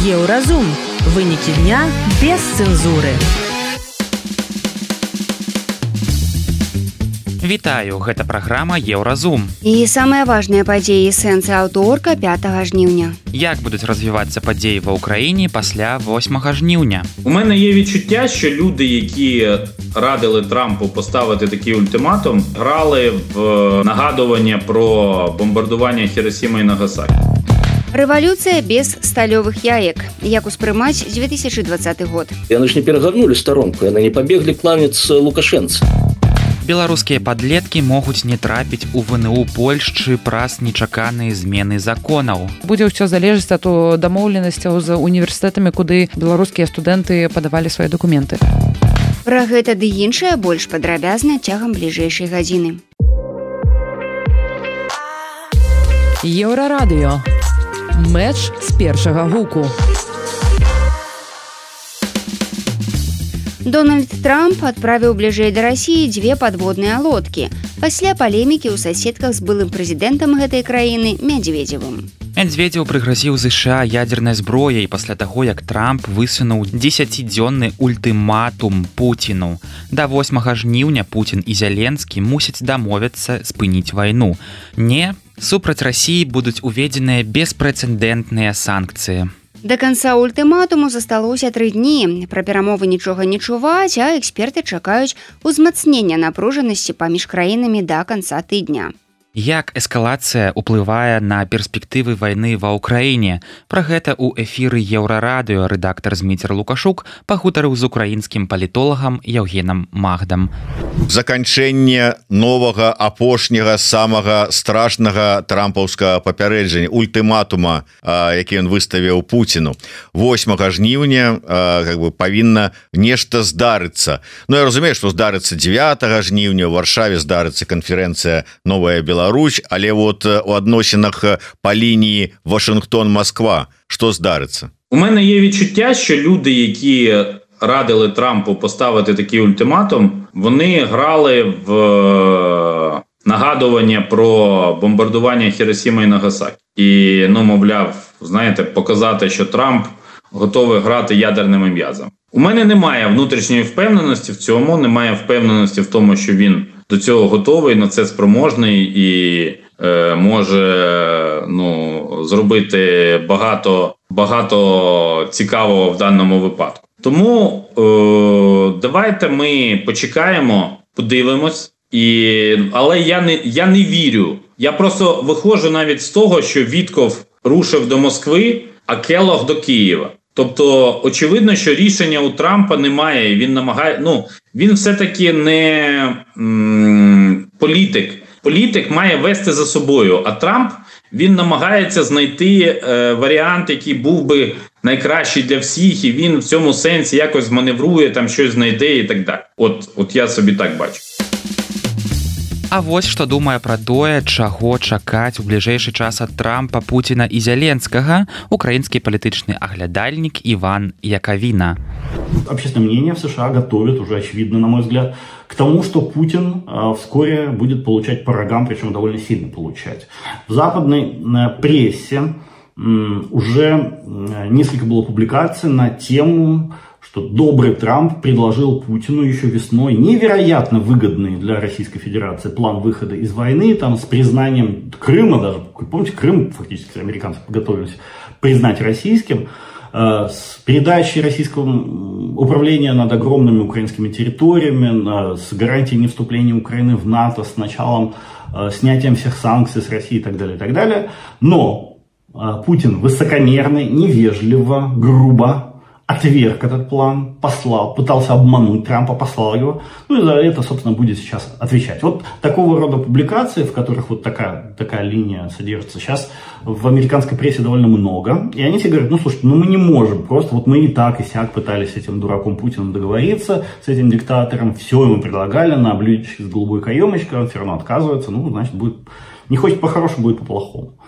Еўразум. Вынікі дня без цэнзуры. Вітаю, гэта праграма Еўразум. І самыя важныя падзеі сэнсы аўторка 5 жніўня. Як будуць развівацца падзеі ва ўкраіне пасля 8 жніўня? У мене є відчуття, що люди, які радили Трампу поставити такий ультиматум, грали в нагадування про бомбардування Хіросіми і Нагасакі. Рэвалюцыя без сталёвых яек. Як успрымаць 2020 год. Яны ж не перагарнули сторонку, яны не пабеглі кланяцца Лукашэнцы. Беларускія падлеткі могуць не трапіць у ВНУ Польшчы праз нечаканыя змены законаў. Будзе ўсё залежаць ад дамоўленасцяў з універсітэтамі, куды беларускія студэнты падавалі свае дакументы. Пра гэта ды іншае больш падрабязна цягам бліжэйшай гадзіны. Еўрарадыё. Мэч з першага гуку. Дональд Трамп адправіў бліжэй да Расіі 2 падводныя лодкі пасля палемікі ў суседках з былым прэзідэнтам гэтай краіны Мядзведзевым. Мядзведзеў прыгразіў ЗША ядзернай зброяй пасля таго, як Трамп высунуў 10-дзённы ультыматум Пуціну. Да 8 жніўня Пуцін і Зеленскі мусяць дамовіцца спыніць вайну. Не, супраць Расіі будуць уведзеныя беспрэцэдэнтныя санкцыі. Да канца ультыматуму засталося 3 дні. Пра перамовы нічога не чуваць, а эксперты чакаюць узмацнення напружанасці паміж краінамі да канца тыдня. Як эскалацыя ўплывае на перспектывы вайны ва ўкраіне? Пра гэта ў эфіры Еўрарадыё рэдактар Зміцер Лукашук пагутарыў з украінскім палітолагам Яўгенам Магдам. Заканчэнне новага апошняга самага страшнага трампаўскага папярэджання ультыматума, які ён выставіў Пуціну 8 жніўня павінна нешта здарыцца. Ну я разумею, што здарыцца 9 жніўня ў Варшаве здарыцца канферэнцыя «Новая Беларусь», але вот у адносінах па лініі Вашингтон-Москва што здарыцца? У мене є відчуття, що люди, які радили Трампу поставити такий ультиматум, вони грали в нагадування про бомбардування Хіросіми і Нагасакі. І, мовляв, знаєте, показати, що Трамп готовий грати ядерними м'язами. У мене немає внутрішньої впевненості в цьому, немає впевненості в тому, що він до цього готовий, на це спроможний і може зробити багато цікавого в даному випадку. Тому давайте ми почекаємо, подивимось, але я не вірю. Я просто виходжу навіть з того, що Вітков рушив до Москви, а Келлог до Києва. Тобто, очевидно, що рішення у Трампа немає, він намагає, він все-таки не політик. Політик має вести за собою, а Трамп, він намагається знайти варіант, який був би найкращий для всіх, і він в цьому сенсі якось маневрує, там щось знайде і так далі. От я собі так бачу. А вось што думае пра тое, чаго чакаць у бліжэйшы час ад Трампа, Пуціна і Зеленскага украінскі палітычны аглядальнік Іван Яковина. Общественное мнение в США готовит, уже очевидно, на мой взгляд, к тому, что Путин вскоре будет получать по рогам, причем довольно сильно получать. В западной прессе уже несколько было публикаций на тему, что добрый Трамп предложил Путину еще весной невероятно выгодный для Российской Федерации план выхода из войны, там с признанием Крыма даже, помните, Крым фактически американцы готовились признать российским, с передачей российского управления над огромными украинскими территориями, с гарантией невступления Украины в НАТО, с началом снятием всех санкций с России и так далее, и так далее. Но Путин высокомерно, невежливо, грубо отверг этот план, пытался обмануть Трампа, послал его. И за это, собственно, будет сейчас отвечать. Вот такого рода публикации, в которых вот такая линия содержится, сейчас в американской прессе довольно много. И они все говорят, слушайте, мы не можем, просто вот мы и так, и сяк пытались с этим дураком Путиным договориться, с этим диктатором, все ему предлагали на блюдечке с голубой каемочкой, он все равно отказывается, значит, будет, не хочет по-хорошему, будет по-плохому.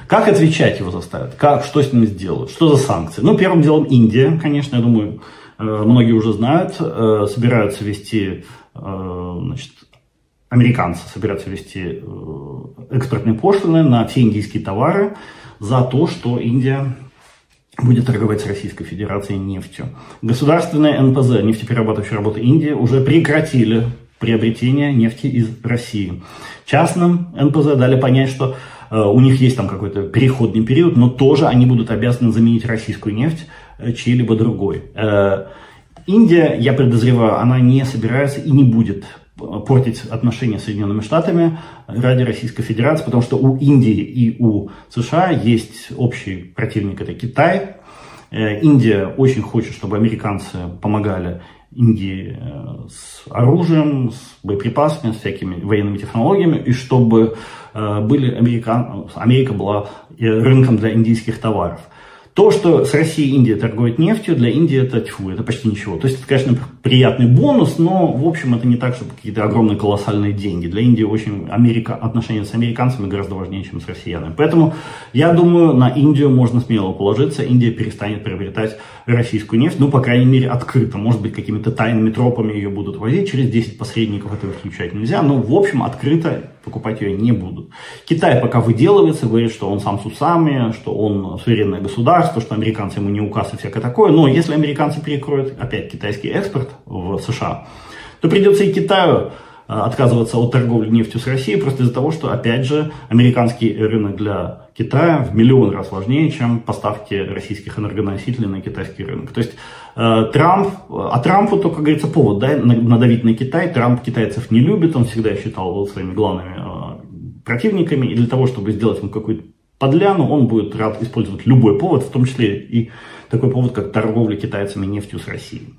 Как отвечать его заставят? Что с ним сделают? Что за санкции? Первым делом Индия, конечно, я думаю, многие уже знают, собираются ввести, американцы собираются ввести экспортные пошлины на все индийские товары за то, что Индия будет торговать с Российской Федерацией нефтью. Государственные НПЗ, нефтеперерабатывающие работы Индии, уже прекратили приобретение нефти из России. Частным НПЗ дали понять, что у них есть там какой-то переходный период, но тоже они будут обязаны заменить российскую нефть чьей-либо другой. Индия, я подозреваю, она не собирается и не будет портить отношения с Соединенными Штатами ради Российской Федерации, потому что у Индии и у США есть общий противник, это Китай. Индия очень хочет, чтобы американцы помогали Индии с оружием, с боеприпасами, с всякими военными технологиями, и чтобы Америка была рынком для индийских товаров. То, что с Россией и Индией торгует нефтью, для Индии это это почти ничего. То есть это, конечно, приятный бонус, но, в общем, это не так, что какие-то огромные колоссальные деньги. Для Индии очень отношения с американцами гораздо важнее, чем с россиянами. Поэтому, я думаю, на Индию можно смело положиться. Индия перестанет приобретать российскую нефть, ну, по крайней мере, открыто. Может быть, какими-то тайными тропами ее будут возить, через 10 посредников этого исключать нельзя, но, в общем, открыто покупать ее не будут. Китай пока выделывается, говорит, что он сам с усами, что он суверенное государство, что американцы ему не указ и всякое такое. Но если американцы перекроют опять китайский экспорт в США, то придется и Китаю отказываться от торговли нефтью с Россией, просто из-за того, что, опять же, американский рынок для Китая в миллион раз важнее, чем поставки российских энергоносителей на китайский рынок. То есть Трампу, то, как говорится, повод надавить на Китай. Трамп китайцев не любит, он всегда считал своими главными противниками, и для того, чтобы сделать им какую-то подляну, он будет рад использовать любой повод, в том числе и такой повод, как торговля китайцами нефтью с Россией.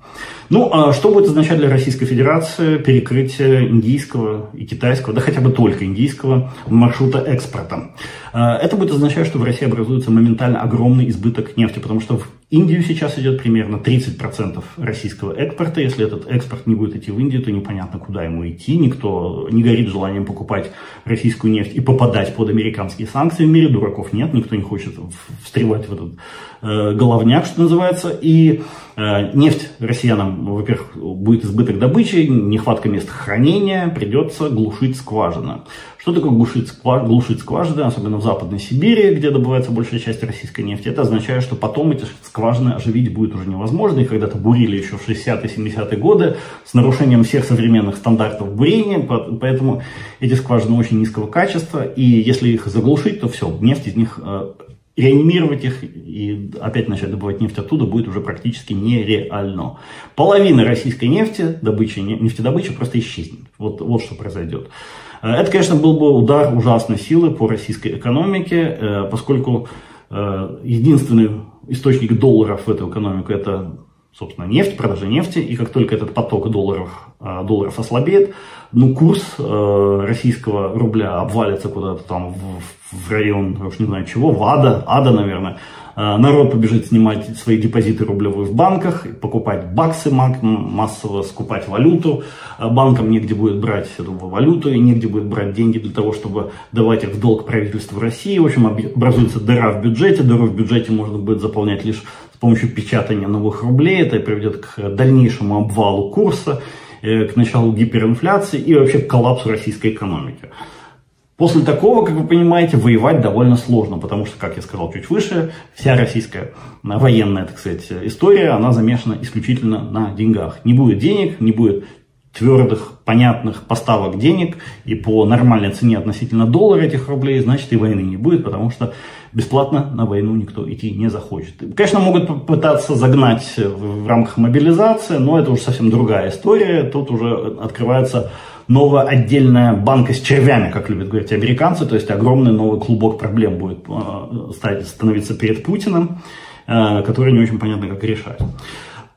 Ну, а что будет означать для Российской Федерации перекрытие индийского и китайского, да хотя бы только индийского маршрута экспорта? Это будет означать, что в России образуется моментально огромный избыток нефти, потому что в Индию сейчас идет примерно 30% российского экспорта. Если этот экспорт не будет идти в Индию, то непонятно, куда ему идти. Никто не горит желанием покупать российскую нефть и попадать под американские санкции. В мире дураков нет, никто не хочет встревать в этот головняк, что называется. И нефть россиянам, во-первых, будет избыток добычи, нехватка мест хранения, придется глушить скважины. Что такое глушить скважины, особенно в Западной Сибири, где добывается большая часть российской нефти? Это означает, что потом эти скважины оживить будет уже невозможно. Их когда-то бурили еще в 60-е, 70-е годы с нарушением всех современных стандартов бурения, поэтому эти скважины очень низкого качества, и если их заглушить, то все, нефть из них, реанимировать их и опять начать добывать нефть оттуда будет уже практически нереально. Половина российской нефтедобычи просто исчезнет. Вот что произойдет. Это, конечно, был бы удар ужасной силы по российской экономике, поскольку единственный источник долларов в эту экономику — это, собственно, нефть, продажа нефти. И как только этот поток долларов ослабеет, курс российского рубля обвалится куда-то там в район, я уж не знаю чего, в ада, наверное. Народ побежит снимать свои депозиты рублевые в банках, покупать баксы массово, скупать валюту. Банкам негде будет брать эту валюту и негде будет брать деньги для того, чтобы давать их в долг правительству России. В общем, образуется дыра в бюджете. Дыру в бюджете можно будет заполнять лишь с помощью печатания новых рублей. Это приведет к дальнейшему обвалу курса, к началу гиперинфляции и вообще к коллапсу российской экономики. После такого, как вы понимаете, воевать довольно сложно, потому что, как я сказал чуть выше, вся российская военная, так сказать, история, она замешана исключительно на деньгах. Не будет денег, не будет твердых, понятных поставок денег, и по нормальной цене относительно доллара этих рублей, значит, и войны не будет, потому что бесплатно на войну никто идти не захочет. Конечно, могут попытаться загнать в рамках мобилизации, но это уже совсем другая история. Тут уже открывается новая отдельная банка с червями, как любят говорить американцы, то есть огромный новый клубок проблем будет становиться перед Путиным, который не очень понятно, как решать.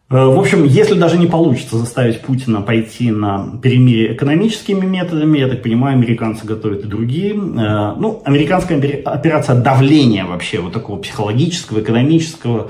В общем, если даже не получится заставить Путина пойти на перемирие экономическими методами, я так понимаю, американцы готовят и другие. Американская операция давления вообще, вот такого психологического, экономического,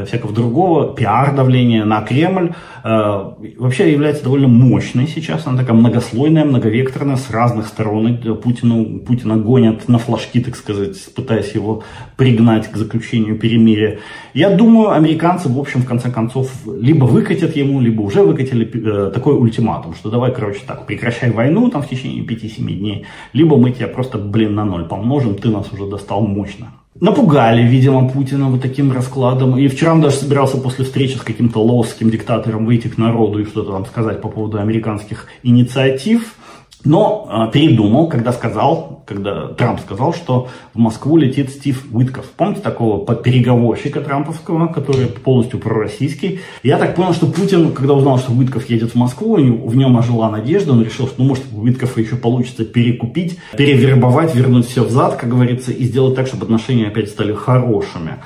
всякого другого, пиар-давления на Кремль, вообще является довольно мощной сейчас. Она такая многослойная, многовекторная, с разных сторон. Путина гонят на флажки, так сказать, пытаясь его пригнать к заключению перемирия. Я думаю, американцы, в общем, в конце концов, либо выкатят ему, либо уже выкатили такой ультиматум, что давай, прекращай войну там в течение 5-7 дней, либо мы тебя просто, на ноль помножим, ты нас уже достал мощно. Напугали, видимо, Путина вот таким раскладом. И вчера он даже собирался после встречи с каким-то лаосским диктатором выйти к народу и что-то там сказать по поводу американских инициатив. Но передумал, когда Трамп сказал, что в Москву летит Стив Уитков. Помните такого переговорщика трамповского, который полностью пророссийский? Я так понял, что Путин, когда узнал, что Уитков едет в Москву, в нем ожила надежда, он решил, что может Уиткова еще получится перекупить, перевербовать, вернуть все взад, как говорится, и сделать так, чтобы отношения опять стали хорошими.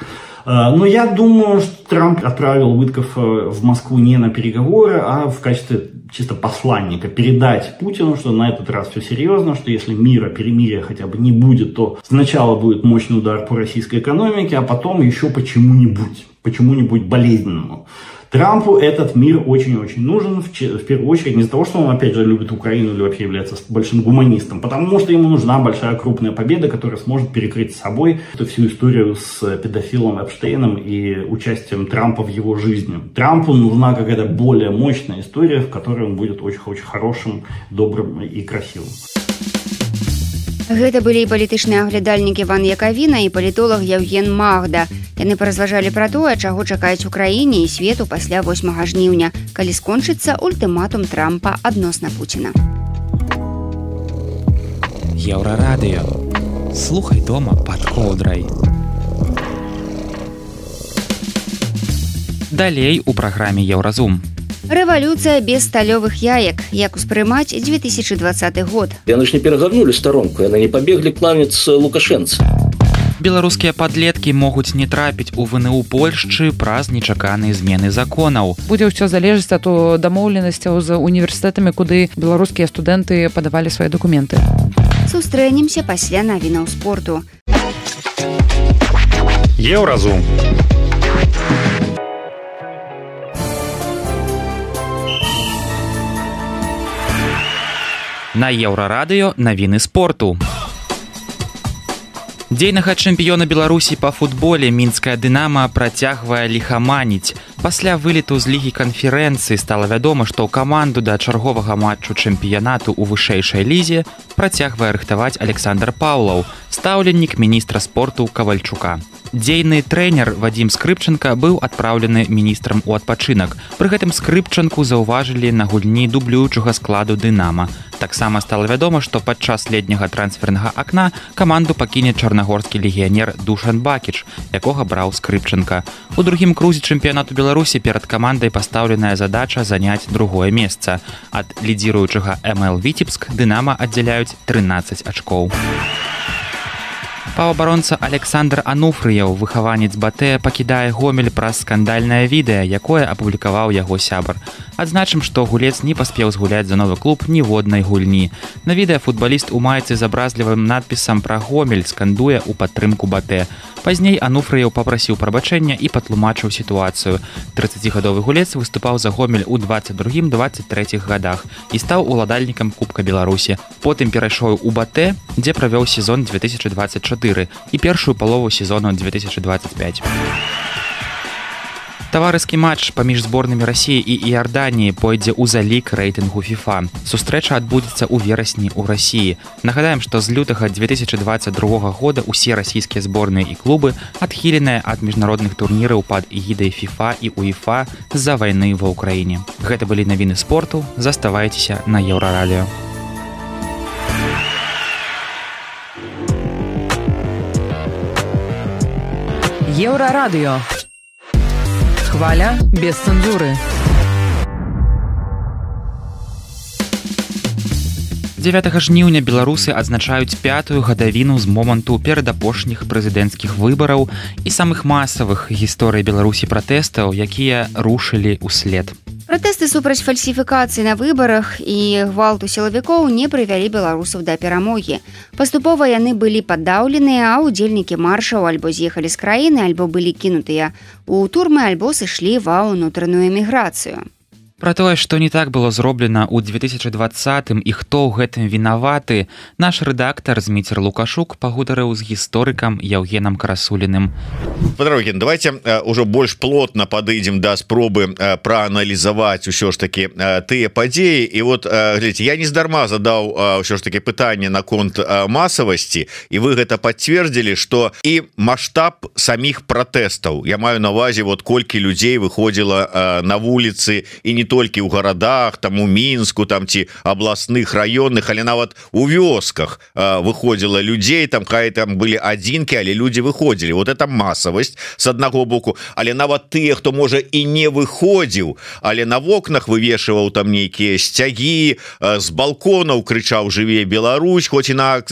Но я думаю, что Трамп отправил Уитков в Москву не на переговоры, а в качестве чисто посланника, передать Путину, что на этот раз все серьезно, что если перемирия хотя бы не будет, то сначала будет мощный удар по российской экономике, а потом еще почему-нибудь болезненному. Трампу этот мир очень-очень нужен, в первую очередь, не из-за того, что он, опять же, любит Украину или вообще является большим гуманистом, потому что ему нужна большая крупная победа, которая сможет перекрыть с собой эту всю историю с педофилом Эпштейном и участием Трампа в его жизни. Трампу нужна какая-то более мощная история, в которой он будет очень-очень хорошим, добрым и красивым. Гэта былі палітычныя аглядальнікі Іван Якавіна і палітолог Яўген Магда. Яны паразважалі пра тое, чаго чакаюць Украіне і свету пасля 8 жніўня, калі скончыцца ультыматум Трампа адносна Пуціна. Еўрарадыё. Слухай дома пад коўдрай. Далей у праграме Еўразум. Рэвалюцыя без сталёвых яек. Як успрымаць 2020 год? Яны ж не перагарнули сторонку, яны не пабеглі кланяцца Лукашэнцы. Беларускія падлеткі могуць не трапіць у ВНУ Польшчы праз нечаканыя змены законаў. Будзе ўсё залежыць ад дамоўленасцяў з універсітэтамі, куды беларускія студэнты падавалі свае дакументы. Сустрэнемся пасля навінаў спорту. Еўразум. На Еўрарадыё навіны спорту. Дзейнага чэмпіёна Беларусі па футболе мінская «Дынама» працягвае ліхаманіць. Пасля вылету з лігі канферэнцыі стала вядома, што ў каманду да чарговага матчу чэмпіянату ў вышэйшай лізе працягвае рыхтаваць Александр Паўлаў, стаўленнік міністра спорту Кавальчука. Дзейны трэнер Вадзім Скрыпчанка быў адпраўлены міністрам у адпачынак. Пры гэтым Скрыпчанку заўважылі на гульні дублюючага складу «Дынама». Таксама стала вядома, што падчас летняга трансфернага акна каманду пакіне чарнагорскі легіянер Душан Бакіч, якога браў Скрыпчанка. У другім крузе чэмпіянату Беларусі перад камандай пастаўленая задача заняць другое месца. Ад лідзіруючага МЛ Віцебск «Дынама» аддзяляюць 13 ачкоў. Паўабаронца Александр Ануфрыяў, выхаванец БАТЭ, пакідае Гомель праз скандальнае відэа, якое апублікаваў яго сябар. Адзначым, што гулец не паспеў згуляць за новы клуб ніводнай гульні. На відэа футбаліст у майцы з абразлівым надпісам пра Гомель скандуе ў падтрымку БАТЭ. Пазней Ануфрыяў папрасіў прабачэння і патлумачыў сітуацыю. 30гадовы гулец выступаў за Гомель у 22-23 гадах і стаў уладальнікам Кубка Беларусі. Потым перайшоў у БАТЭ, дзе правёў сезон 2024 і першую палову сезону 2025. Таварыскі матч паміж зборнымі Расіі і Іорданіі пойдзе ў залік рэйтынгу FIFA. Сустрэча адбудзецца ў верасні ў Расіі. Нагадаем, што з лютага 2022 года ўсе расійскія зборныя і клубы адхіленыя ад міжнародных турніраў пад эгідай FIFA і УЕФА з-за вайны ва ўкраіне. Гэта былі навіны спорту. Заставайцеся на Еўрарадыё. Еўрарадыё. Хваля без цэнзуры. 9 жніўня беларусы адзначаюць 5-ю гадавіну з моманту перадапошніх прэзідэнцкіх выбараў і самых масавых гісторый Беларусі пратэстаў, якія рушылі ўслед. Пратэсты супраць фальсіфікацыі на выбарах і гвалту сілавікоў не прывялі беларусаў да перамогі. Паступова яны былі падаўленыя, а ўдзельнікі маршаў альбо з'ехалі з краіны, альбо былі кінутыя ў турмы, альбо сышлі ва ўнутраную эміграцыю. Пра тое, што не так было зроблена ў 2020 і хто ў гэтым вінаваты, наш рэдактар Зміцер Лукашук пагутарыў з гісторыкам Яўгенам Красуліным. Падарогін, давайте ўжо больш плотна падыдзем да спробы прааналізаваць усё ж такі тыя падзеі. І вот глядзіце, я нездарма задаў ўсё ж такі пытанне наконт масавасці, і вы гэта пацвердзілі, што і маштаб саміх пратэстаў, я маю на увазе вот колькі людзей выходзіла на вуліцы, і не толькі ў гарадах, там у Мінску, там ці абласных раённых, але нават у вёсках выходзіла людзей, там хай там былі адзінкі, але людзі выходзілі. Вот это масавасць с аднаго боку, але нават тыя, хто можа і не выходзіў, але на вокнах вывешваў там нейкія сцягі, з балконаў крычаў «Жыве Беларусь», хоць і на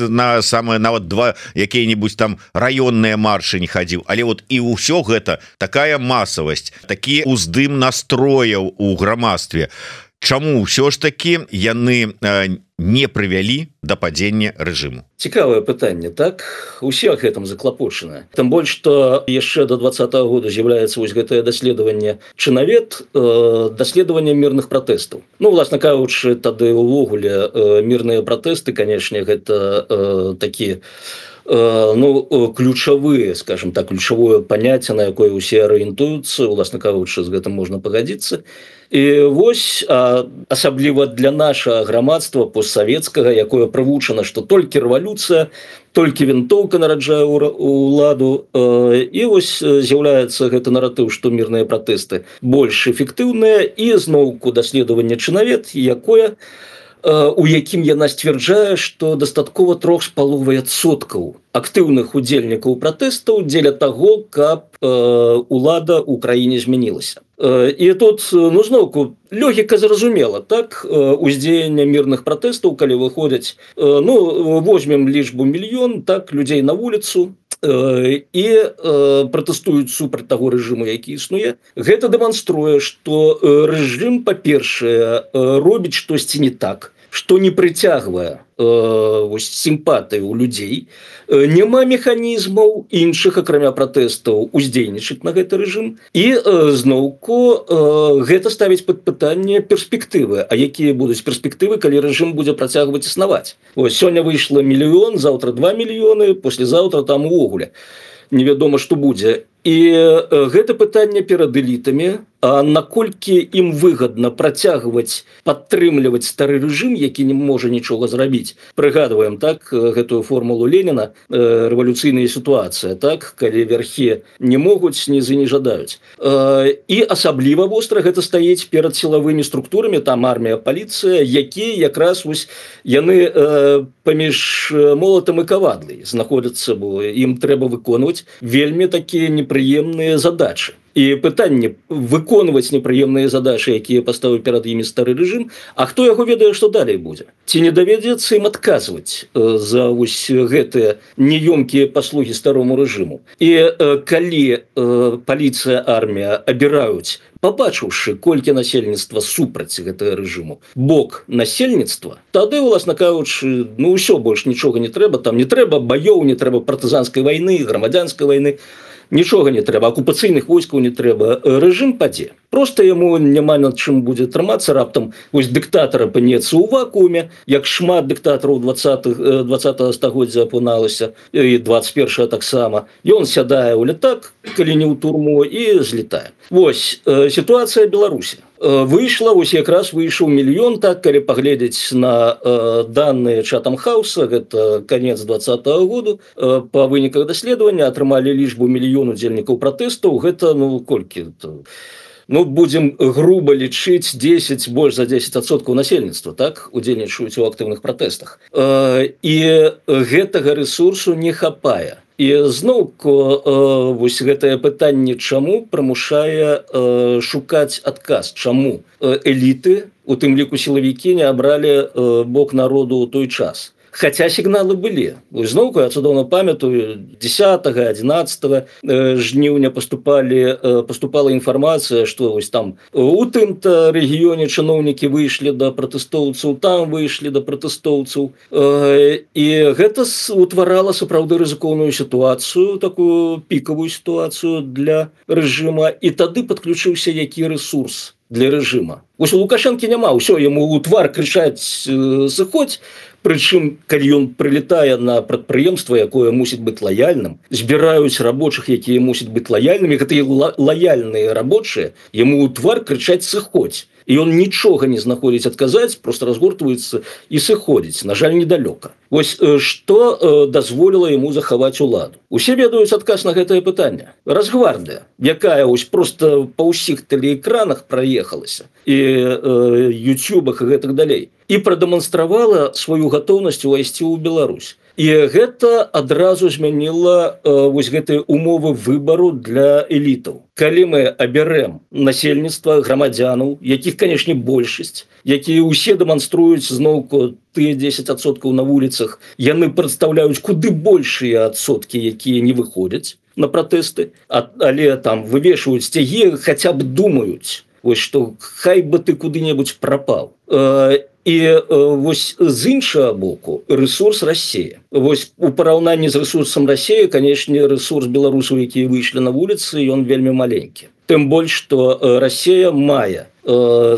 самае нават два якія-небудзь там раённыя маршы не хадзіў. Але вот і ўсё гэта такая масавасць, такі уздым настрояў у грамадстве. Чаму ўсё ж такі яны не прывялі да падзення рэжыму? Цікавае пытанне, так? Усе гэтым заклапочаны. Тым больш, што яшчэ до 2020 года з'яўляецца вось гэтае даследаванне «Чынавед», даследаванне мірных пратэстаў. Ну, власна кажучы, тады ўвогуле мірныя пратэсты, канешне, гэта такі ключавыя, скажем так, ключавое паняцце, на якое ўсе арыентуюцца, уласна кажучы, з гэтым можна пагадзіцца. І вось асабліва для нашага грамадства постсавецкага, якое прывучана, што толькі рэвалюцыя, толькі вінтоўка нараджае ўладу, і вось з'яўляецца гэты наратыў, што мірныя пратэсты больш эфектыўныя, і зноўку даследаванне «Чынавед», якое у якім яна сцвярджае, што дастаткова 3,5% актыўных удзельнікаў пратэстаў дзеля таго, каб улада ў краіне змянілася. І тут, зноўку, логіка зразумела, так? Уздзеянне мірных пратэстаў, калі выходзяць, возьмем лічбу 1 мільён, так, людзей на вуліцу, і пратэстуюць супраць таго рэжыму, які існуе. Гэта дэманструе, што рэжым, па-першае, робіць штосьці не так, што не прыцягвае сімпатыі ў людзей, няма механізмаў іншых, акрамя пратэстаў, уздзейнічаць на гэты рэжым, і зноўку гэта ставіць пад пытанне перспектывы. А якія будуць перспектывы, калі рэжым будзе працягваць існаваць? Сёння выйшла 1 мільён, заўтра 2 мільёны, паслязаўтра там увогуле невядома, што будзе. І гэта пытанне перад элітамі, а наколькі ім выгадна працягваць падтрымліваць стары рэжым, які не можа нічога зрабіць. Прыгадваем, так, гэтую формулу Леніна, рэвалюцыйная сітуацыя, так, калі верхі не могуць, нізы не жадаюць. І асабліва востра гэта стаіць перад сілавымі структурамі, там армія, паліцыя, якія якраз яны паміж молатам і кавадлай знаходзяцца, бо ім трэба выконваць вельмі такія непрыемныя задачы. І пытанне выконваць непрыемныя задачы, якія паставіў перад імі стары рэжым, а хто яго ведае, што далей будзе? Ці не давядзецца ім адказваць за гэтыя неёмкія паслугі старому рэжыму? І калі паліцыя, армія абіраюць, пабачыўшы, колькі насельніцтва супраць гэтага рэжыму, бок насельніцтва, тады, уласна кажучы, ўсё, больш нічога не трэба, там не трэба баёў, не трэба партызанскай вайны, грамадзянскай вайны, нічога не трэба, акупацыйных войскаў не трэба, рэжым падзе. Проста яму няма над чым будзе трымацца, раптам дыктатар апынецца ў вакууме, як шмат дыктатараў 20-го стагоддзя апыналася, і 21-го таксама. Ён сядае ў летак, калі не ў турму, і злетае. Вось сітуацыя Беларусі. Выйшла, якраз выйшаў 1 мільён, так, калі паглядзець на даныя Chatham House, гэта канец 2020 году, па выніках даследавання атрымалі лічбу 1 мільён удзельнікаў пратэстаў, гэта, колькі? Будзем груба лічыць 10, больш за 10% насельніцтва, так, удзельнічаюць у актыўных пратэстах. І гэтага рэсурсу не хапае. І зноўку гэтае пытанне, чаму прымушае шукаць адказ, чаму эліты, у тым ліку сілавікі, не абралі бок народу ў той час. Хаця сігналы былі. Зноўку я цудоўна памятаю, 10-11 жніўня паступала інфармацыя, што там у тым-то рэгіёне чыноўнікі выйшлі да пратэстоўцаў, там выйшлі да пратэстоўцаў. І гэта утварала сапраўды рызыкоўную сітуацыю, такую пікавую сітуацыю для рэжыма. І тады падключыўся які рэсурс? для рэжыма. Вось у Лукашэнкі няма, ўсё, яму ў твар крычаць «сыходзь», прычым, калі ён прылетае на прадпрыемства, якое мусіць быць лаяльным, збіраюць рабочых, якія мусяць быць лаяльнымі, гэтыя лаяльныя рабочыя, яму ў твар крычаць «сыходзь». І ён нічога не знаходзіць адказаць, просто разгортваецца і сыходзіць, на жаль, недалёка. Вось што дазволіла яму захаваць уладу. Усе ведаюць адказ на гэтае пытанне. Росгвардыя, якая вось просто па ўсіх тэлеэкранах праехалася і ютубах і гэтак далей, і прадэманстравала сваю гатоўнасць увайсці ў Беларусь. І гэта адразу змяніла вось гэтыя умовы выбару для элітаў. Калі мы абярэм насельніцтва грамадзянаў, якіх, канешне, большасць, якія ўсе дэманструюць зноўку тыя 10% на вуліцах, яны прадстаўляюць куды большыя адсоткі, якія не выходзяць на пратэсты, але там вывешваюць сцягі, хаця б думаюць, вось што хай бы ты куды-небудзь прапаў. І вось з іншага боку рэсурс Расія. Вось у параўнанні з рэсурсам Расіі, канешне, рэсурс беларусаў, якія выйшлі на вуліцы, ён вельмі маленькі. Тым больш, што Расія мае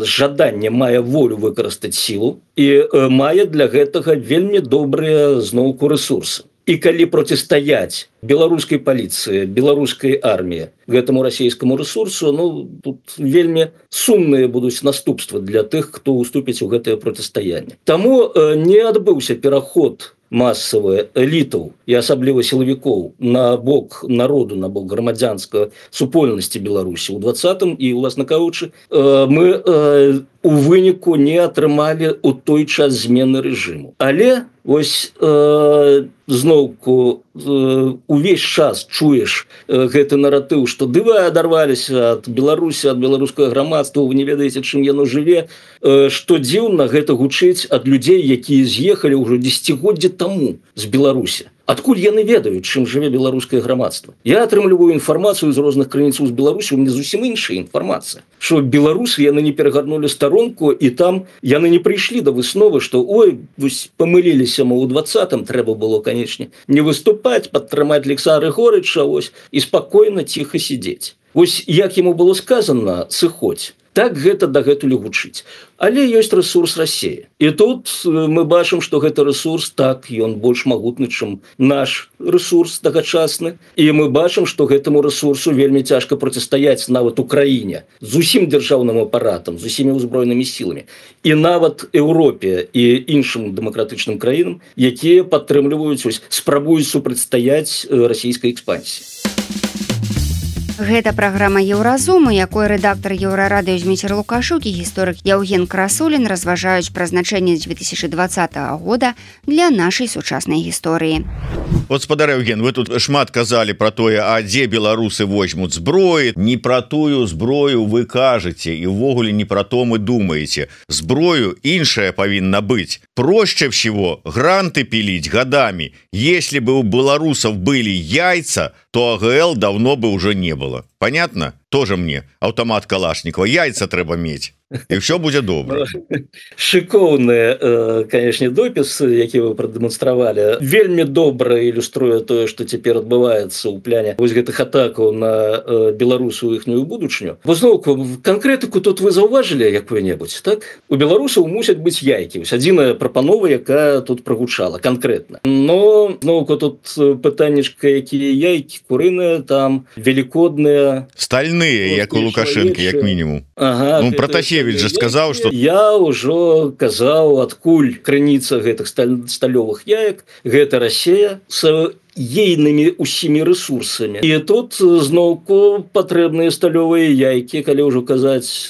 жаданне, мае волю выкарыстаць сілу і мае для гэтага вельмі добрыя зноўку рэсурсы. І калі процістаяць беларускай паліцыі, беларускай арміі гэтаму расійскаму рэсурсу, ну, тут вельмі сумныя будуць наступствы для тых, хто уступіць у гэтае процістаянне. Таму не адбыўся пераход масавыя элітаў і асабліва сілавікоў на бок народу, на бок грамадзянскага супольнасці Беларусі. У 20-м і, уласна кажучы, мы у выніку не атрымалі ў той час змены рэжыму. Але вось зноўку увесь час чуеш гэты наратыў, што ды вы адарваліся ад Беларусі, ад беларускага грамадства, вы не ведаеце, чым яно жыве. Што дзіўна, гэта гучыць ад людзей, якія з'ехалі ўжо дзесяцігоддзі таму з Беларусі. Адкуль яны ведаюць, чым жыве беларускае грамадства? Я атрымліваю інфармацыю з розных крыніцаў з Беларусі, у мяне зусім іншая інфармацыя. Што беларусы яны не перагарнулі старонку, і там яны не прыйшлі да высновы, што ой, вось памыліліся мы ў 20-м, трэба было, канечне, не выступаць, падтрымаць Александра Григорьевича, ось, і спакойна, ціха сидзець. Вось як яму было сказано, сыходзь. Так гэта дагэтуль гучыць. Але ёсць рэсурс Расіі. І тут мы бачым, што гэты рэсурс, так, ён больш магутны, чым наш рэсурс тагачасны. І мы бачым, што гэтаму рэсурсу вельмі цяжка процістаяць нават Украіне з усім дзяржаўным апаратам, з усімі ўзброенымі сіламі. І нават Еўропе і іншым дэмакратычным краінам, якія падтрымліваюць, спрабуюць супрацьстаяць расійскай экспансіі. Гэта праграма «Еўразум», у якой рэдактар Еўрарадыё Зміцер Лукашук і гісторык Яўген Красулін разважаюць пра значэнне 2020 года для нашай сучаснай гісторыі. Вот, спадар Яўген, вы тут шмат казалі пра тое, а дзе беларусы возьмуць зброі. Не пра тую зброю вы кажаце, і ўвогуле не пра то мы думаеце. Зброю іншая павінна быць. Проще всего гранты пилить годами. Если бы у белорусов были яйца, то АГЛ давно бы уже не было. Понятно? Тоже мне автомат Калашникова. Яйца трэба мець. І все будзе добра. Шыкоўны, канешне, допіс, які вы прадэманстравалі, вельмі добра ілюструе тое, што цяпер адбываецца ў пляне вось гэтых атакаў на беларусаў іхнюю будучыню. Зноўку, канкрэтыку тут вы заўважылі якую-небудзь, так? У беларусаў мусяць быць яйкі. Вось адзіная прапанова, якая тут прагучала канкрэтна. Но зноўку тут пытаннечка, якія яйкі, курыныя, там велікодныя, стальныя, як у Лукашэнкі, як мінімум. Ага, ну, Пратасевич же сказаў, што я ўжо казаў, адкуль крыніца гэтых сталёвых яек, гэта Расія с ейнымі усімі рэсурсамі. І тут зноўку патрэбныя сталёвыя яйкі, калі ўжо казаць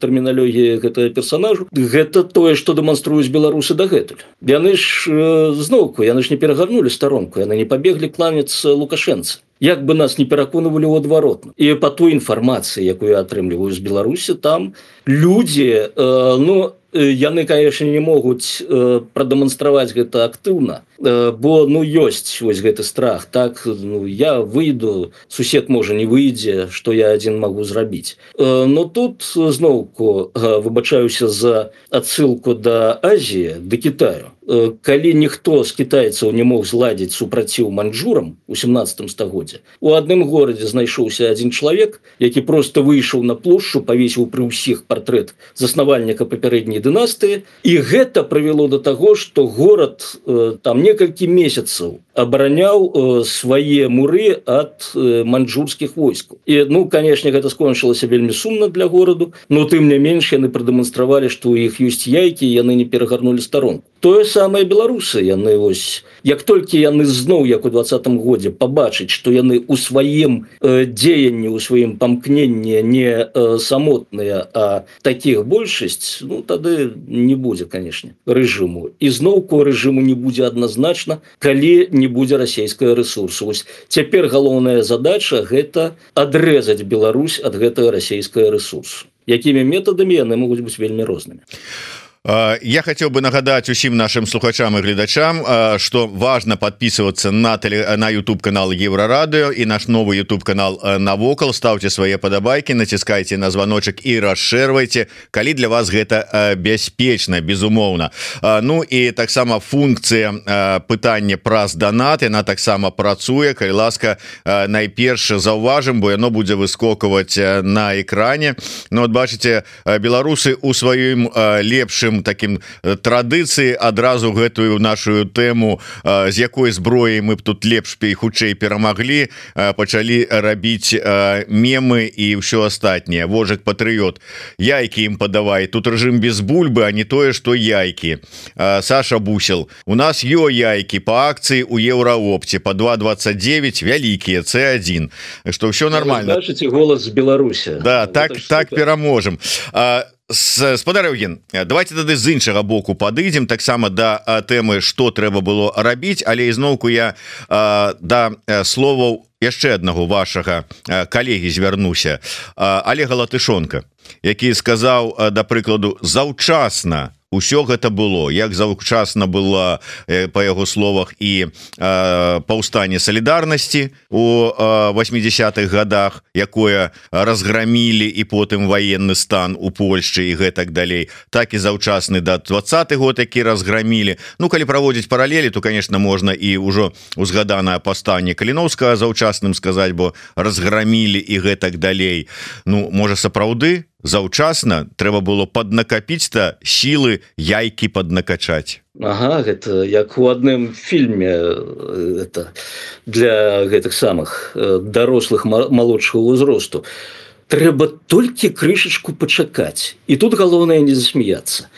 тэрміналогіі гэтага персонажу. Гэта тое, што дэманструюць беларусы дагэтуль. Яны ж зноўку, яны ж не перагарнулі старонку, яны не пабеглі кланяцца Лукашэнцы. Як бы нас не пераконвалі ў адваротна. І па той інфармацыі, якую я атрымліваю з Беларусі, там людзі, яны, конечно, не могуць прадэманстраваць гэта актыўна, бо ну ёсць вось гэты страх, так, ну, я выйду, сусед можа не выйдзе, што я адзін магу зрабіць. Но тут зноўку выбачаюся за адсылку да Азіі, да Китаю. Калі ніхто з кітайцаў не мог зладзіць супраціў маньчжурам у 17 стагоддзе, у адным горадзе знайшоўся адзін чалавек, які просто выйшаў на плошчу, павесіў пры ўсіх партрэт заснавальніка папярэдняй дынастыі, і гэта прывяло да таго, што горад там некалькі месяцаў абараняў свае муры ад маньчжурскіх войскаў. І, ну, канешне, гэта скончылася вельмі сумна для гораду, но тым не менш яны прадэманстравалі, што ў іх ёсць яйкі, яны не перагарнулі старонку. Тое самае беларусы, яны вось, як толькі яны зноў, як у 20-м годзе, пабачаць, што яны ў сваім дзеянні, у сваім памкненні не самотныя, а такіх большасць, ну, тады не будзе, канешне, рэжыму. І зноўку рэжыму не будзе адназначна, калі не будзе расійскага рэсурсу. Вось цяпер галоўная задача – гэта адрэзаць Беларусь ад гэтага расійскага рэсурсу. Якімі метадамі яны могуць быць вельмі рознымі. Я хотел бы нагадать усім нашим слухачам и глядачам, что важно подписываться на YouTube канал Еврорадио и наш новый YouTube канал Навокал. Ставьте свои подобайки, натискайте на звоночек и расширвайте, коли для вас это бяспечна, безумоўна. Ну и так само функция пытання праз донат, она так само працуе. Калі ласка, найперш заўважым, бо яно будзе выскокваць на экране. Ну вот бачите, беларусы у сваім лепшым таким традыцыі адразу гэтую нашу тэму, з якой зброі мы б тут лепш і хутчэй перамаглі, пачалі рабіць мемы і ўсё астатняе. Вожык патрыёт, яйкі ім падавай, тут рэжым без бульбы, а не тое, што яйкі. Саша Бусел, у нас яйкі па акцыі у Еўраопце по 2,29, вялікія C1, што ўсё нормально. Слышите голос Беларусі. Да, так пераможем. Спадар Евген, давайте тады з іншага боку падыдзем таксама да тэмы, што трэба было рабіць, але ізноўку я да словаў яшчэ аднаго вашага калегі звярнуся, Олега Латышонка, які сказаў, да прыкладу, заўчасна усё гэта было, як заўчасна было, па яго словах, і паўстанне салідарнасці у 80-х годах, якое разграмілі, і потым военны стан у Польшчы і гэтак далей, так і заўчасны да 20-х год, які разграмілі. Ну, калі праводзіць паралелі, то, конечно, можна і ўжо узгаданае паўстанне Каліноўскага заўчасным сказаць, бо разграмілі і гэтак далей. Ну, можа, сапраўды заўчасна трэба было паднакапіць-то сілы, яйкі паднакачаць. Ага, гэта як у адным фільме, это для гэтых самых дарослых малодшага ўзросту. Трэба толькі крышачку пачакаць. І тут галоўнае не засмяяцца.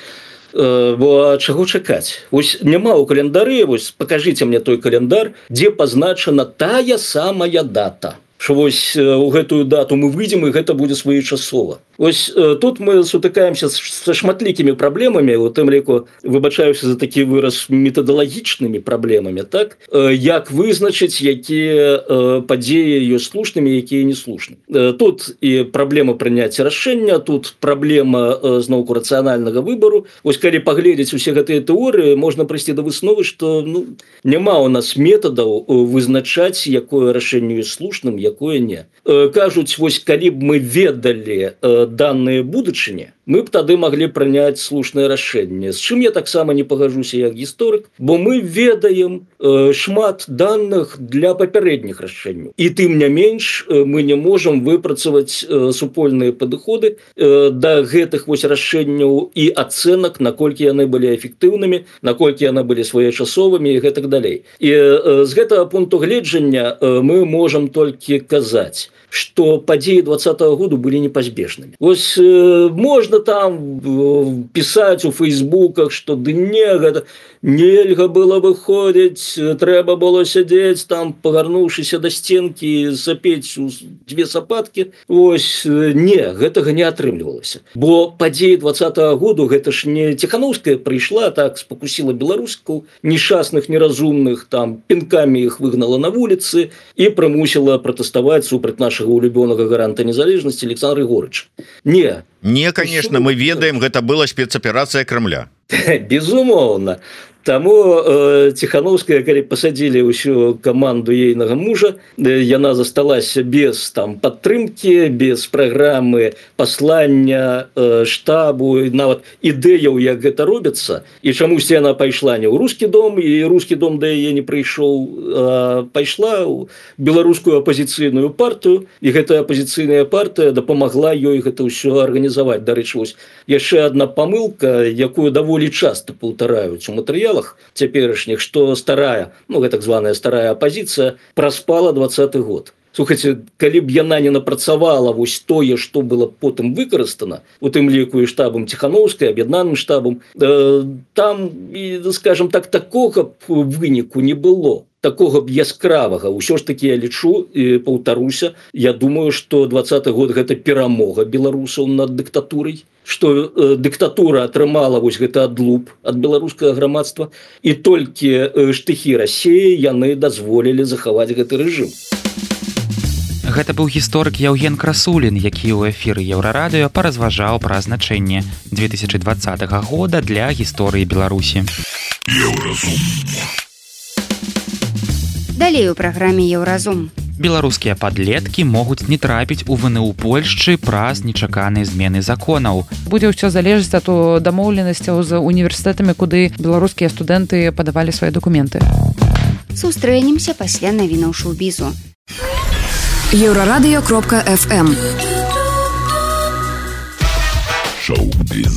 Бо чаго чакаць? Вось няма ў календары, вось пакажыце мне той календар, дзе пазначана тая самая дата. Што вось у гэтую дату мы выйдзем, і гэта будзе своечасова. Вось тут мы сутыкаемся са шматлікімі праблемамі, у тым ліку, выбачаюся за такі выраз, метадалагічнымі праблемамі, так? Як вызначыць, якія падзеі ёсць слушнымі, якія не слушнымі. Тут і праблема прыняцця рашэння, тут праблема зноўку рацыянальнага выбару. Вось калі паглядзець усе гэтыя тэорыі, можна прыйсці да высновы, што няма ў нас метадаў вызначаць, якое рашэнне ёсць слушным, якое не. Кажуць, вось калі б мы ведалі данные будучыні, мы б тады маглі прыняць слушнае рашэнне. З чым я таксама не пагажуся як гісторык, бо мы ведаем шмат даных для папярэдніх рашэнняў. І тым не менш мы не можам выпрацаваць супольныя падыходы да гэтых вось рашэнняў і ацэнак, наколькі яны былі эфектыўнымі, наколькі яны былі своечасовымі і гэтак далей. І з гэтага пункту гледжання мы можам толькі казаць, што падзеі 20-го году былі непазбежнымі. Вось можна там пісаць у фейсбуках, што ды не, гэта нельга было выходзіць, трэба было сядзець там, пагарнуўшыся да стенкі, сапець у дзве сапаткі. Вось не, гэтага не атрымлівалася. Бо падзеі 20-го году, гэта ж не Ціханаўская прыйшла, так спакусіла беларускаў, нешчасных, неразумных, там пінкамі іх выгнала на вуліцы і прымусіла пратэставаць супраць нашага улюбёнага гаранта незалежнасці Александра Григорьевича. Не, конечно, мы ведаем, гэта была спецаперацыя Кремля. Безумоўна. Таму Ціхановская, калі пасадзілі ўсю каманду ейнага мужа, яна засталася без там падтрымкі, без праграмы паслання штабу, нават ідэяў, як гэта робіцца. І чамусьці яна пайшла не ў рускі дом, і рускі дом да яе не прыйшоў, пайшла ў беларускую апазіцыйную партыю, і гэтая апазіцыйная партыя дапамагла ёй гэта ўсё арганізаваць. Дарэчы, вось яшчэ адна памылка, якую даволі часта паўтараюць у матэрыялах цяперашніх, што старая, так званая старая апазіцыя праспала 20-й год. Слухайце, калі б яна не напрацавала вось тое, што было потым выкарыстана, у тым ліку і штабам Ціхановскай, аб'яднаным штабам, там, скажем так, такога выніку не было. Такога б яскравага. Усё ж такі я лічу і паўтаруся, я думаю, што 20-й год гэта перамога беларусаў над дыктатурай, што дыктатура атрымала вось гэты адлуп ад беларускага грамадства, і толькі штыхі Расіі яны дазволілі захаваць гэты рэжым. Гэта быў гісторык Яўген Красулін, які ў эфіры Еўрарадыё паразважаў пра значэнне 2020 года для гісторыі Беларусі. Далей у праграме Еўразум. Беларускія падлеткі могуць не трапіць у ВНУ Польшчы праз нечаканыя змены законаў. Будзе ўсё залежыць ад дамоўленасцяў з універсітэтамі, куды беларускія студэнты падавалі свае дакументы. Сустрэнемся пасля навінаў шоу-бізу. Еўрарадыё.фм Шоу-біз.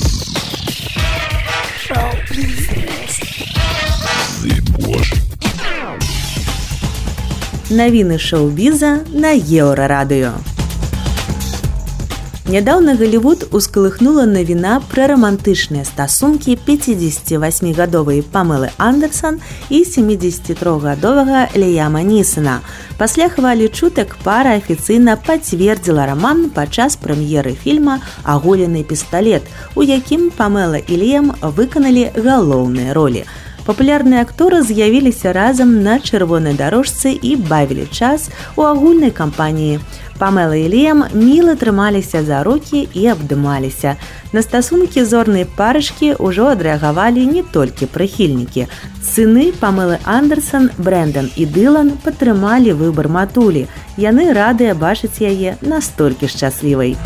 Навіны шоу-біза на Еўрарадыё. Нядаўна Галівуд ускалыхнула навіна пра рамантычныя стасункі 58-гадовай Памелы Андерсон і 73-гадовага Ліяма Нісана. Пасля хвалі чутак пара афіцыйна пацвердзіла раман падчас прэм'еры фільма «Аголены пісталет», у якім Памела і Ліям выканалі галоўныя ролі. Папулярныя акторы з'явіліся разам на чырвонай дарожцы і бавілі час у агульнай кампаніі. Памела і Ліям міла трымаліся за рукі і абдымаліся. На стасункі зорнай парышкі ўжо адрэагавалі не толькі прыхільнікі. Сыны Памелы Андерсон, Брэндон і Дылан падтрымалі выбар матулі. Яны радыя бачыць яе настолькі шчаслівай.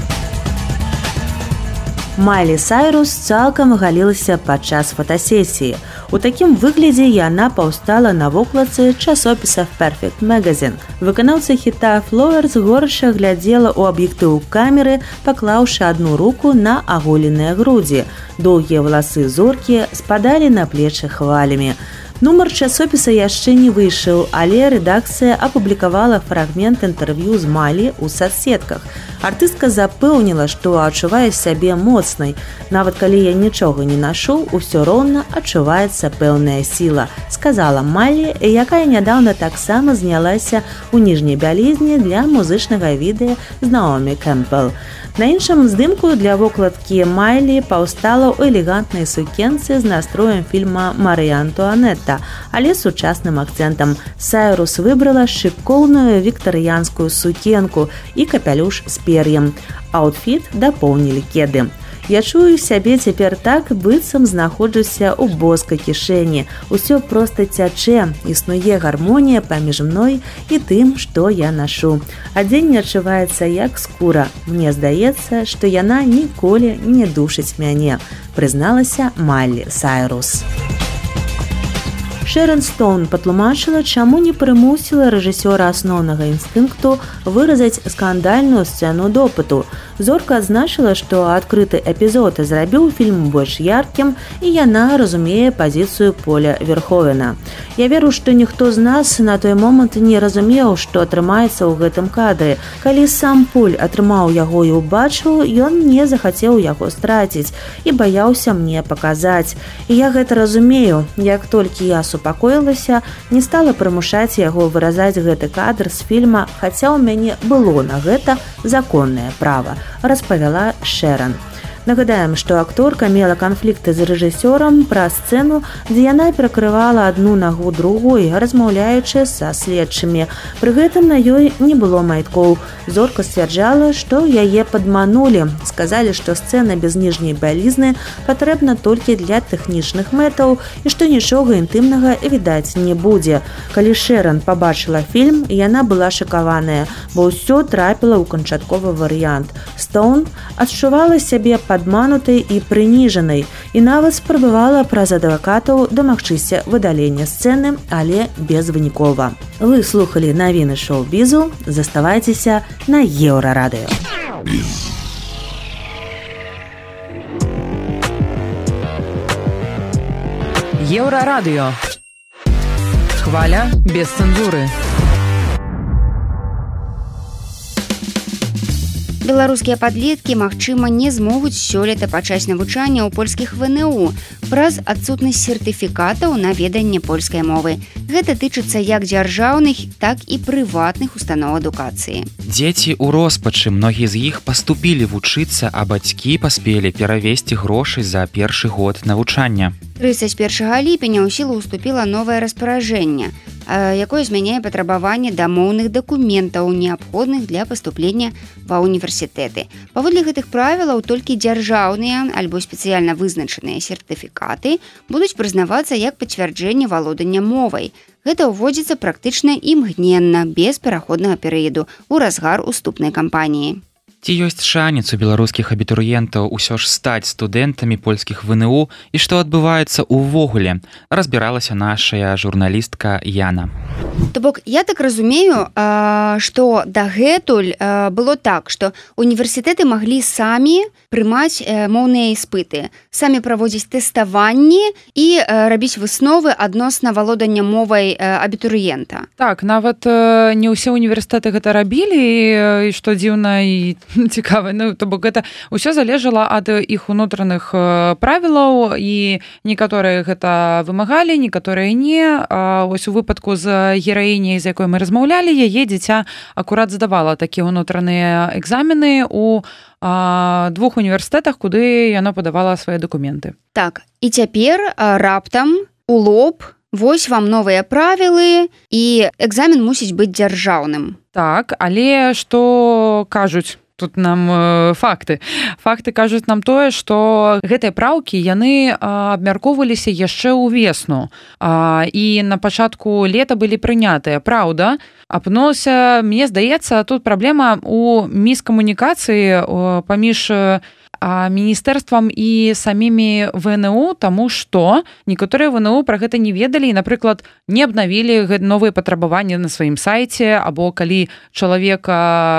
Майлі Сайрус цалкам галілася падчас фотасесіі. У такім выглядзе яна паўстала на вокладцы часопіса Perfect Magazine. Выканаўца хіта Flowers горача глядзела ў аб'ектыў камеры, паклаўшы адну руку на аголеныя грудзі. Доўгія валасы зоркі спадалі на плечы хвалямі. Нумар часопіса яшчэ не выйшаў, але рэдакцыя апублікавала фрагмент інтэрв'ю з Майлі ў садсетках. Артыстка запэўніла, што адчувае сябе моцнай. Нават калі я нічога не нашу, усё роўна адчуваецца пэўная сіла, сказала Майлі, якая нядаўна таксама знялася ў ніжняй бялізні для музычнага відэа з Наомі Кэмпбелл. На іншым здымку для вокладкі Майлі паўстала ў элегантнай сукенцы з настроем фільма «Марыя Антуанетта», але сучасным акцэнтам. Сайрус выбрала шыкоўную віктарыянскую сукенку і капялюш з пер'ем. Аўтфіт дапоўнілі кеды. Я чую сябе цяпер так, быццам знаходжуся ў боскай кішэні. Усё проста цячэ, існуе гармонія паміж мной і тым, што я нашу. Адзенне адчуваецца як скура. Мне здаецца, што яна ніколі не душыць мяне, прызналася Майлі Сайрус. Шэрон Стоун патлумачыла, чаму не прымусіла рэжысёра асноўнага інстынкту выразаць скандальную сцэну допыту. Зорка адзначыла, што адкрыты эпізод зрабіў фільм больш яркім, і яна разумее пазіцыю Поля Верховена. Я веру, што ніхто з нас на той момант не разумеў, што атрымаецца ў гэтым кадры. Калі сам Поль атрымаў яго і ўбачыў, ён не захацеў яго страціць і баяўся мне паказаць. І я гэта разумею. Як толькі я супакоілася, не стала прымушаць яго выразаць гэты кадр з фільма, хаця ў мяне было на гэта законнае права, распавяла Шэрон. Нагадаем, што акторка мела канфлікты з рэжысёрам пра сцэну, дзе яна перакрывала адну нагу другой, размаўляючы са следчымі. Пры гэтым на ёй не было майткоў. Зорка сцвярджала, што яе падманулі. Сказалі, што сцэна без ніжняй бялізны патрэбна толькі для тэхнічных мэтаў і што нічога інтымнага відаць не будзе. Калі Шэран пабачыла фільм, яна была шакаваная, бо ўсё трапіла ў канчатковы варыянт. Стоун адчувала сябе падманутай і прыніжанай і нават спрабавала праз адвакатаў дамагчыся выдалення сцэны, але безвынікова. Вы слухалі навіны шоу-бізу, заставайцеся на Еўрарадыё. Еўрарадыё. Хваля без цэнзуры. Беларускія падлеткі, магчыма, не змогуць сёлета пачаць навучання ў польскіх ВНУ праз адсутнасць сертыфікатаў на веданне польскай мовы. Гэта тычыцца як дзяржаўных, так і прыватных устаноў адукацыі. Дзеці ў роспачы, многія з іх паступілі вучыцца, а бацькі паспелі перавесці грошы за першы год навучання. 31 ліпеня ў сілу ўступіла новае распараджэнне, якое змяняе патрабаванне да моўных дакументаў, неабходных для паступлення ва універсітэты. Паводле гэтых правілаў толькі дзяржаўныя альбо спецыяльна вызначаныя сертыфікаты будуць прызнавацца як пацвярджэнне валодання мовай. Гэта ўводзіцца практычна імгненна, без пераходнага перыяду, у разгар уступнай кампаніі. Ці ёсць шанец у беларускіх абітурыентаў усё ж стаць студэнтамі польскіх ВНУ і што адбываецца ўвогуле, разбіралася нашая журналістка Яна. То бок, я так разумею, што дагэтуль было так, што універсітэты маглі самі прымаць моўныя іспыты, самі праводзіць тэставанні і рабіць высновы адносна валодання мовай абітурыента. Так, нават не ўсе універсітэты гэта рабілі, і што дзіўна і цікава. Ну, то бок гэта ўсё залежала ад іх унутраных правілаў, і некаторыя гэта вымагалі, некаторыя не. Вось у выпадку з гераіняй, з якой мы размаўлялі, яе дзіця акурат здавала такія ўнутраныя экзамены у двух універсітэтах, куды яно падавала свае дакументы. Так, і цяпер раптам у лоб вось вам новыя правілы, і экзамен мусіць быць дзяржаўным. Так, але што кажуць тут нам факты. Факты кажуць нам тое, што гэтыя праўкі, яны абмяркоўваліся яшчэ ўвесну. І на пачатку лета былі прынятыя. Праўда, апынулася, мне здаецца, тут праблема ў міскамунікацыі паміж міністэрствам і самімі ВНУ, таму што некаторыя ВНУ пра гэта не ведалі і, напрыклад, не абнавілі новыя патрабаванні на сваім сайце, або калі чалавек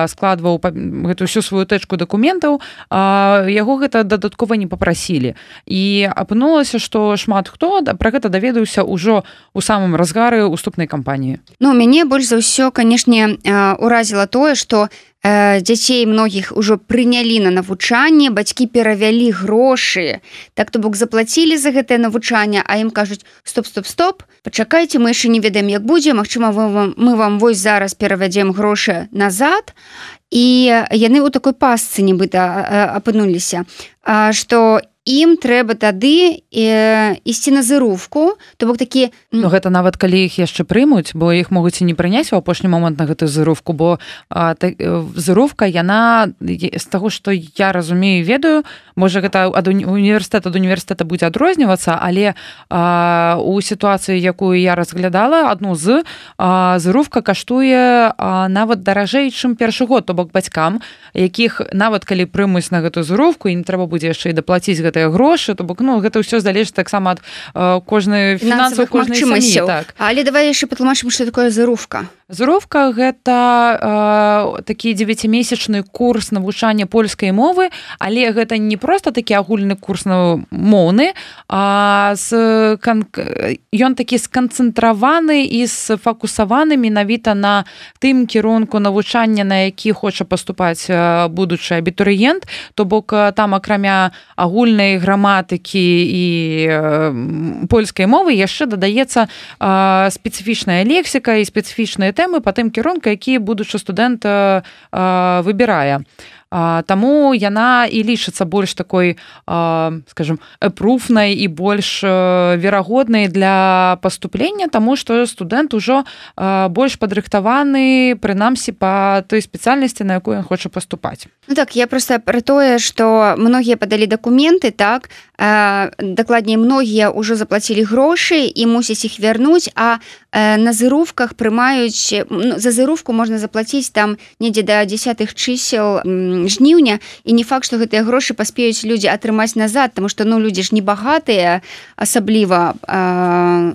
складваў гэту всю сваю тэчку дакументаў, яго гэта дадаткова не папрасілі. І апынулася, што шмат хто пра гэта даведаўся ўжо ў самым разгары уступнай кампаніі. Ну, мяне больш за ўсё, канешне, уразіла тое, што дзяцей многіх ужо прынялі на навучанне, бацькі перавялі грошы, так то бок заплацілі за гэтае навучанне, а ім кажуць: стоп, пачакайце, мы яшчэ не ведаем, як будзе, магчыма, мы вам вось зараз перавядзем грошы назад. І яны ў такой пастцы нібыта апынуліся, што ім трэба тады ісці на зырувку, то бок такі... Ну, гэта нават калі іх яшчэ прымуць, бо іх могуць і не прыняць у апошні момант на гэтую зырувку, бо зырувка, яна, з таго, што я разумею, ведаю, можа, гэта ад універсітэта будзе адрознівацца, але у сітуацыі, якую я разглядала, адну з зырувка каштуе нават даражэй, чым першы год, то бок бацькам, якіх нават калі прымуць на гэтую зырувку, ім трэба будзе яшчэ і даплаціць гэтыя грошы, то бок, ну, гэта ўсё залежыць таксама ад кожнай фінансавай кожнай сям'і. Так. Але давай яшчэ патлумачым, што такое зырувка. Зырувка – гэта такі 9-месячны курс навучання польскай мовы, але гэта не проста такі агульны курс моўны, а ён такі сканцэнтраваны і сфокусаваны менавіта на тым кірунку навучання, на які хоча паступаць будучы абітурыент, то бок там акрамя агульнай граматыкі і польскай мовы яшчэ дадаецца спецыфічная лексіка і спецыфічныя тэмы па тым кірунку, які будучы студэнт выбірае. Таму яна і лічыцца больш такой, скажем, пруфнай і больш верагоднай для паступлення, таму што студэнт ужо больш падрыхтаваны, прынамсі, па той спецыяльнасці, на якую ён хоча паступаць. Ну так, я просто про тое, што многія падалі дакументы, так, дакладней, многія ўжо заплацілі грошы і мусяць іх вярнуць, а на зырувках прымаюць, за зырувку можна заплаціць там недзе да 10 чысел жніўня, і не факт, што гэтыя грошы паспеюць людзі атрымаць назад, таму што людзі ж не багатыя, асабліва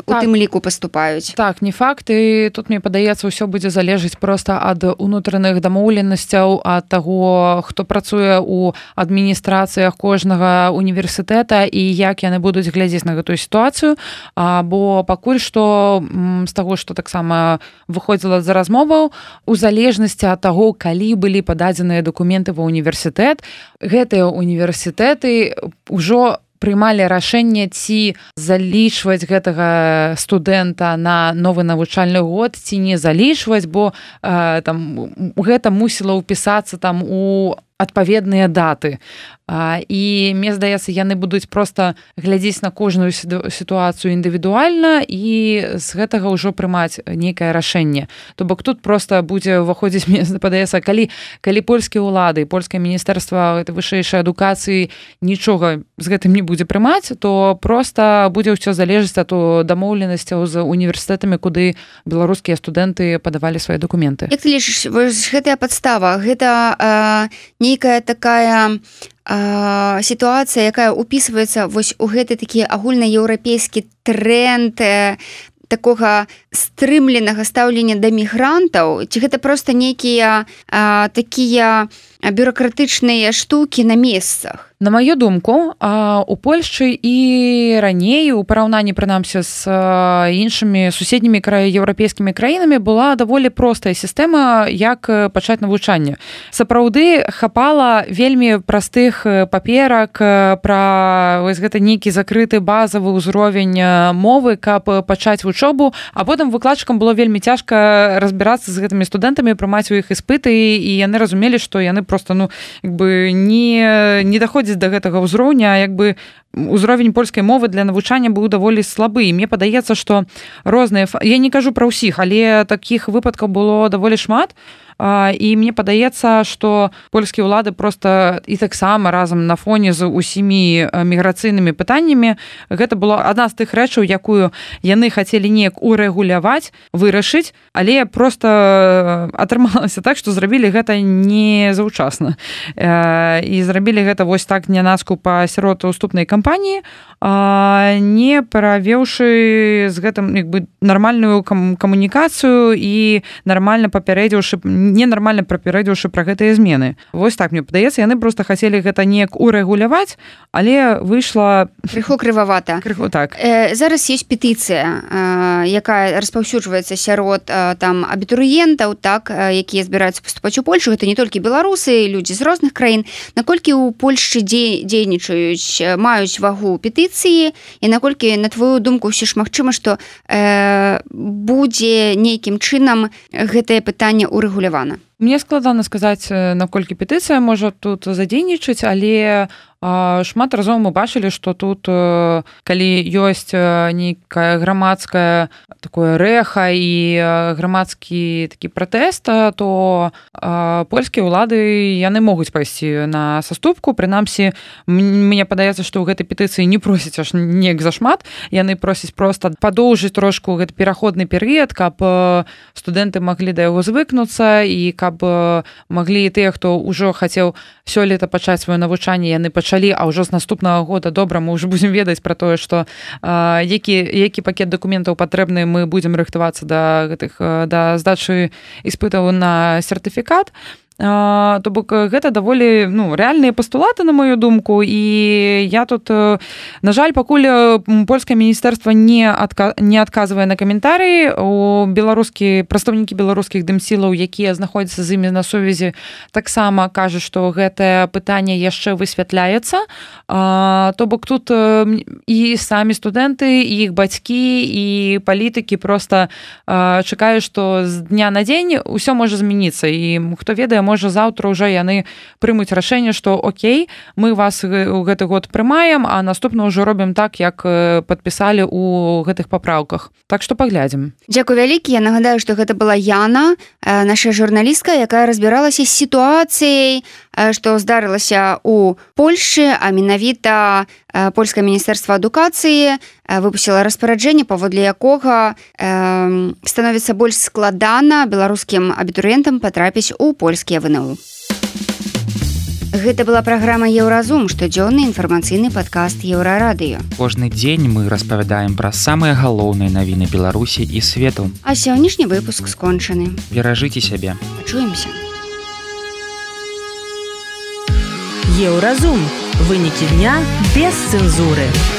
у тым ліку паступаюць. Так, не факт, і тут, мне падаецца, ўсё будзе залежыць проста ад унутраных дамоўленасцяў, ад таго, хто працуе ў адміністрацыях кожнага універсітэта і як яны будуць глядзець на гэтую сітуацыю, бо пакуль што з таго, што таксама выходзіла за размоваў, у залежнасці ад таго, калі былі пададзеныя дакументы ва універсітэт, гэтыя універсітэты ўжо прымалі рашэнне, ці залічваць гэтага студэнта на новы навучальны год, ці не залічваць, бо гэта мусіла ўпісацца там у адпаведныя даты. І, мне здаецца, яны будуць проста глядзець на кожную сітуацыю індывідуальна і з гэтага ўжо прымаць нейкае рашэнне. То бок тут проста будзе ўваходзіць, мне падаецца, калі польскія ўлады, польскае міністэрства вышэйшай адукацыі нічога з гэтым не будзе прымаць, то проста будзе ўсё залежыць ад дамоўленасцяў з універсітэтамі, куды беларускія студэнты падавалі свае дакументы. Як ты лічыш, гэтая падстава, гэта нейкая такая сітуацыя, якая ўпісваецца вось у гэты такі агульнаеўрапейскі тренд такога стрымленага стаўлення да мігрантаў, ці гэта проста нейкія такія бюракратычныя штукі на месцах? На маю думку, у Польшчы і раней, у параўнанні, прынамсі, з іншымі суседнімі еўрапейскімі краінамі была даволі простая сістэма, як пачаць навучанне. Сапраўды хапала вельмі простых паперак пра вось гэта нейкі закрыты базавы ўзровень мовы, каб пачаць вучобу, а потым выкладчыкам было вельмі цяжка разбірацца з гэтымі студэнтамі, прымаць у іх іспыты, і яны разумелі, што яны просто не даходзяць да гэтага ўзроўня, ўзровень польскай мовы для навучання быў даволі слабы. І мне падаецца, што розныя, я не кажу пра ўсіх, але такіх выпадкаў было даволі шмат, і мне падаецца, што польскія ўлады проста і таксама разам на фоне з усімі міграцыйнымі пытаннямі, гэта была адна з тых рэчаў, якую яны хацелі неяк урэгуляваць, вырашыць, але проста атрымалася так, што зрабілі гэта не заўчасна. І зрабілі гэта вось так нянацку па сяродуступнай кампаніі, не правеўшы з гэтым нармальную камунікацыю і ненармальна папярэдзіўшы пра гэтыя змены. Вось так, мне падаецца, яны проста хацелі гэта неяк урэгуляваць, але выйшла крыху крывавата. Так. Зараз ёсць петыцыя, якая распаўсюджваецца сярод там абітурыентаў, так, якія збіраюцца паступаць у Польшу. Гэта не толькі беларусы, людзі з розных краін. Наколькі ў Польшчы дзейнічаюць, маюць вагу петыцыі, і наколькі, на твою думку, ўсё ж магчыма, што будзе нейкім чынам гэтае пытанне урэгулявана? Мне складана сказаць, наколькі петыцыя можа тут задзейнічаць, але шмат разоў мы бачылі, што тут, калі ёсць нейкая грамадская такое рэха і грамадскі такі пратэст, то польскія ўлады, яны могуць пайсці на саступку. Прынамсі, мне падаецца, што ў гэтай петыцыі не просяць аж неяк зашмат, яны просяць проста падоўжыць трошку гэты пераходны перыяд, каб студэнты маглі да яго звыкнуцца, і каб маглі тыя, хто ўжо хацеў сёлета пачаць сваё навучанне, яны пачалі, а ўжо з наступнага года добра мы ўжо будзем ведаць пра тое, што які пакет дакументаў патрэбны, мы будзем рыхтавацца да здачы іспытаў на сертыфікат. То бок гэта даволі рэальныя пастулаты, на мою думку, і я тут, на жаль, пакуль польскае міністэрства не адказвае на каментарыі, прадстаўнікі беларускіх дымсілаў, якія знаходзяцца з імі на сувязі, таксама кажуць, што гэтае пытанне яшчэ высвятляецца. То бок тут і самі студэнты, і іх бацькі, і палітыкі проста чакаюць, што з дня на дзень усё можа змяніцца, і хто ведае, можа заўтра ўжо яны прымуць рашэнне, што окей, мы вас у гэты год прымаем, а наступна ўжо робім так, як падпісалі ў гэтых папраўках. Так што паглядзім. Дзякуй вялікі. Я нагадаю, што гэта была Яна, наша журналістка, якая разбіралася з сітуацыяй, што здарылася ў Польшчы, а менавіта польскае міністэрства адукацыі выпусціла распараджэнне, паводле якога становіцца больш складана беларускім абітурыентам патрапіць у польскія ВНУ. Гэта была праграма «Еўразум», штодзённы інфармацыйны падкаст Еўрарадыё. Кожны дзень мы распавядаем пра самыя галоўныя навіны Беларусі і свету. А сённяшні выпуск скончаны. Беражыце сябе. Пачуемся. Еўразум. Вынікі дня без цэнзуры.